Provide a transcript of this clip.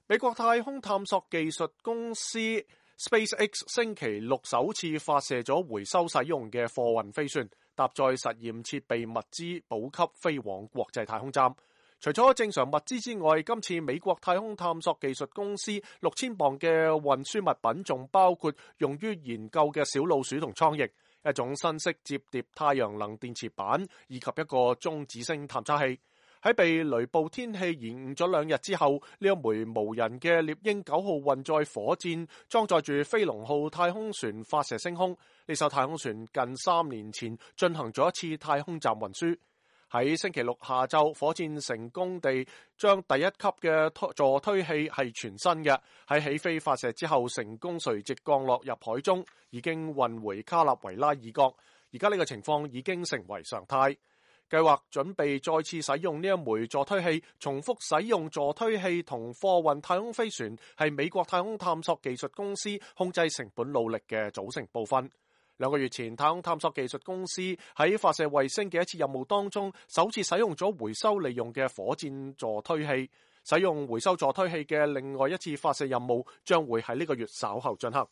美國太空探索技術公司 SpaceX 星期六首次發射咗回收使用嘅貨運飛船，搭載實驗設備物資補給飛往國際太空站。除咗正常物資之外，今次美國太空探索技術公司6000磅嘅運輸物品仲包括用於研究嘅小老鼠同蒼蠅、一種新式摺疊太陽能電池板以及一個中子星探測器。喺被雷暴天氣延誤咗2日之後，呢一枚無人嘅獵鷹9號運載火箭裝載住飛龍號太空船發射升空。呢艘太空船近3年前進行咗一次太空站運輸。喺星期六下晝，火箭成功地將第一級嘅助推器係全新嘅，喺起飛發射之後成功垂直降落入海中，已經運回卡納維拉爾角。而家呢個情況已經成為常態。計劃準備再次使用呢一枚助推器，重複使用助推器同貨運太空飛船係美國太空探索技術公司控制成本努力嘅組成部分。2個月前，太空探索技術公司喺發射衛星嘅一次任務當中，首次使用咗回收利用嘅火箭助推器。使用回收助推器嘅另外一次發射任務將會喺呢個月稍後進行。